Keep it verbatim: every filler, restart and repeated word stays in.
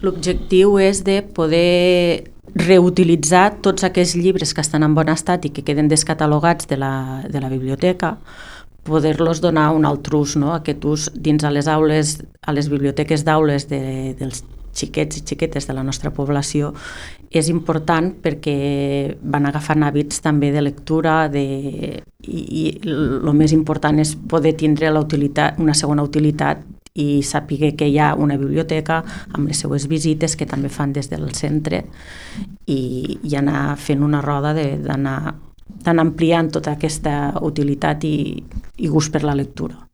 l'objectiu és de poder reutilitzar tots aquests llibres que estan en bon estat i que queden descatalogats de la, de la biblioteca, poder-los donar un altre ús, no? Aquest ús dins a les aules, a les biblioteques d'aules de, dels xiquets i xiquetes de la nostra població és important perquè van agafant hàbits també de lectura de, i el més important és poder tindre la utilitat, una segona utilitat i sàpiga que hi ha una biblioteca amb les seues visites que també fan des del centre i, i anar fent una roda d'anar d'anar ampliant tota aquesta utilitat i, i gust per la lectura.